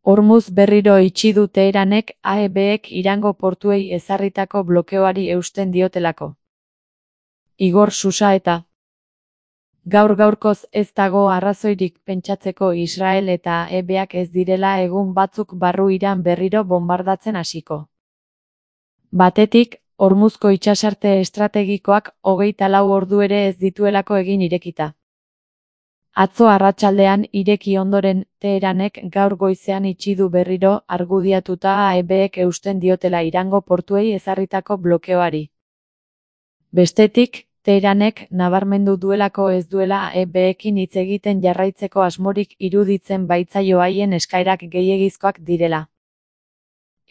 Hormuz berriro itxi du Teheranek AEBek Irango portuei ezarritako blokeoari eusten diotelako. Igor Susaeta. Gaur-gaurkoz ez dago arrazoirik pentsatzeko Israel eta AEBak ez direla egun batzuk barru Iran berriro bonbardatzen hasiko. Batetik, Hormuzko itsasarte estrategikoak 24 ordu ere ez dituelako egin irekita. Atzo arratsaldean ireki ondoren, Teheranek gaur goizean itxi du berriro argudiatuta AEBek eusten diotela Irango portuei ezarritako blokeoari. Bestetik, Teheranek nabarmendu duelako ez duela AEBekin hitz egiten jarraitzeko asmorik iruditzen baitzaio haien eskaerak gehiegizkoak direla.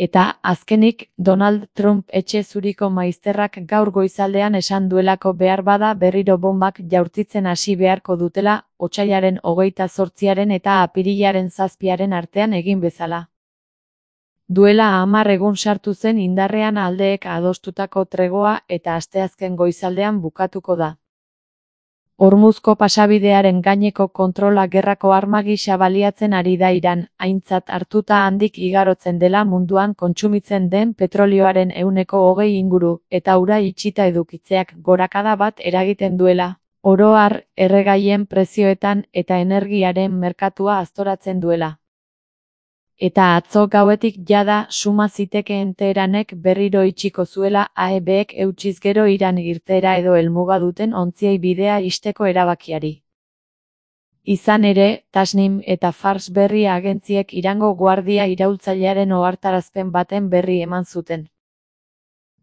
Eta, azkenik, Donald Trump etxe zuriko maizterrak gaur goizaldean esan duelako behar bada berriro bombak jaurtitzen hasi beharko dutela, otsailaren 28 eta apirilaren 7 artean egin bezala. Duela 10 egun sartu zen indarrean aldeek adostutako tregoa eta asteazken goizaldean bukatuko da. Hormuzko pasabidearen gaineko kontrola gerrako arma gisa baliatzen ari da Iran, aintzat hartuta handik igarotzen dela munduan kontsumitzen den petrolioaren 20% inguru, eta ura itxita edukitzeak gorakada bat eragiten duela, oro har, erregaien prezioetan eta energiaren merkatua aztoratzen duela. Eta atzo gauetik jada suma zitekeen Teheranek berriro itxiko zuela AEBek eutsiz gero Iran irteera edo helmuga duten ontziei bidea ixteko erabakiari. Izan ere, Tasnim eta Fars berri agentziek Irango guardia iraultzailearen ohartarazpen baten berri eman zuten.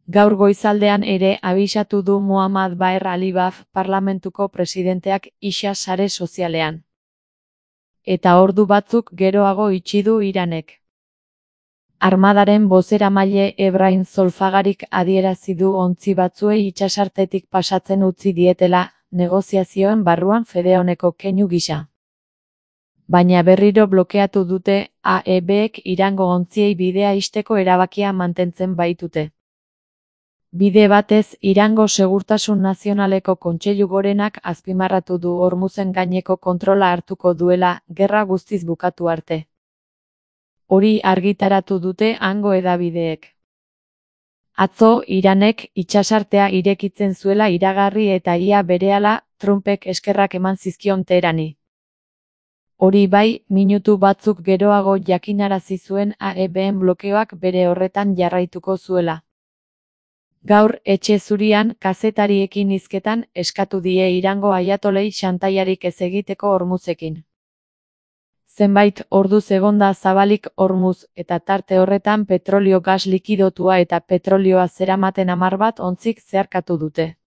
Gaur goizaldean ere abisatu du Muhammad Baher Alibaf parlamentuko presidenteak Isha sare sozialean. Eta ordu batzuk geroago itxi du Iranek. Armadaren bozeramaile Ebrahim Zolfagarik adierazi du ontzi batzuei itsasartetik pasatzen utzi dietela, negoziazioen barruan fede honeko keinu gisa. Baina berriro blokeatu dute, AEBek Irango ontziei bidea ixteko erabakia mantentzen baitute. Bide batez, Irango Segurtasun Nazionaleko Kontseilu Gorenak azpimarratu du Hormuzen gaineko kontrola hartuko duela, gerra guztiz bukatu arte. Hori argitaratu dute hango hedabideek. Atzo, Iranek itsasartea irekitzen zuela iragarri eta ia berehala, Trumpek eskerrak eman zizkion Teherani. Hori bai, minutu batzuk geroago jakinarazi zuen AEBen blokeoak bere horretan jarraituko zuela. Gaur, etxe zurian, kazetariekin hizketan, eskatu die Irango aiatolei xantaiarik ez egiteko Hormuzekin. Zenbait orduz egonda zabalik Hormuz, eta tarte horretan petrolio gas likidotua eta petrolioa zeramaten 10 bat ontzik zeharkatu dute.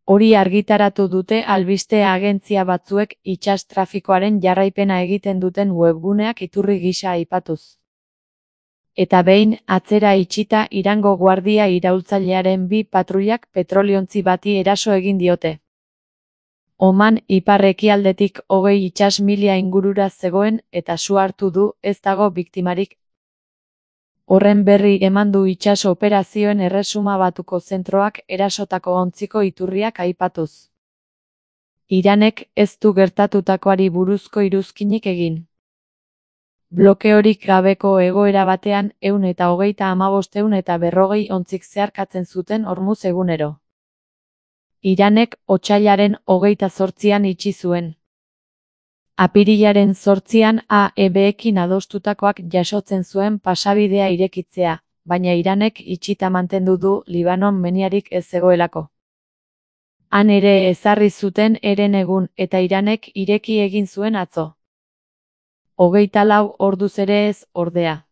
Hori argitaratu dute albiste agentzia batzuek itsas trafikoaren jarraipena egiten duten webguneak iturri gisa aipatuz. Eta behin, atzera itxita Irango guardia iraultzailearen 2 patruilak petroliontzi bati eraso egin diote. Oman ipar-ekialdetik 20 itsas milia ingurura zegoen eta su hartu du, ez dago biktimarik. Horren berri eman du itsas operazioen erresuma batuko zentroak erasotako ontziko iturriak aipatuz. Iranek ez du gertatutakoari buruzko iruzkinik egin. Blokeorik gabeko egoera batean 135 ontzik zeharkatzen zuten Hormuz egunero. Iranek otsailaren 28an itxi zuen. Apirilaren 8an AEBekin adostutakoak jasotzen zuen pasabidea irekitzea, baina Iranek itxita mantendu du Libanon meniarik ez zegoelako. Han ere ezarri zuten herenegun eta Iranek ireki egin zuen atzo. 24 orduz ere ez, ordea.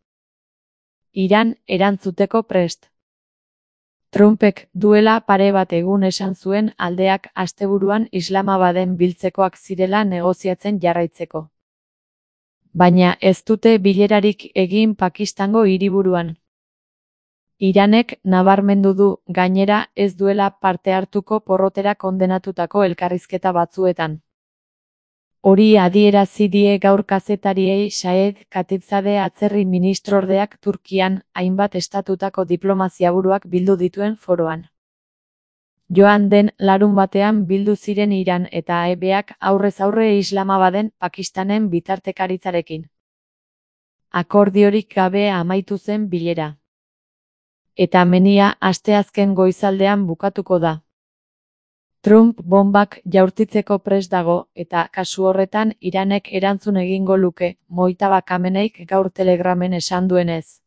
Iran erantzuteko prest. Trumpek duela pare bat egun esan zuen aldeak asteburuan Islamabaden biltzekoak zirela negoziatzen jarraitzeko. Baina ez dute bilerarik egin Pakistango hiriburuan. Iranek nabarmendu du, gainera, ez duela parte hartuko porrotera kondenatutako elkarrizketa batzuetan. Hori adierazi die gaur kazetariei Saed Khatibzadeh atzerri ministrordeak Turkian, hainbat estatutako diplomaziaburuak bildu dituen foroan. Joan den larunbatean bildu ziren Iran eta AEBak aurrez aurre Islamabaden Pakistanen bitartekaritzarekin. Akordiorik gabe amaitu zen bilera. Eta menia asteazken goizaldean bukatuko da. Trump bonbak jaurtitzeko prest dago, eta kasu horretan Iranek erantzun egingo luke, Mojtaba Khameneik gaur Telegramen esan duenez.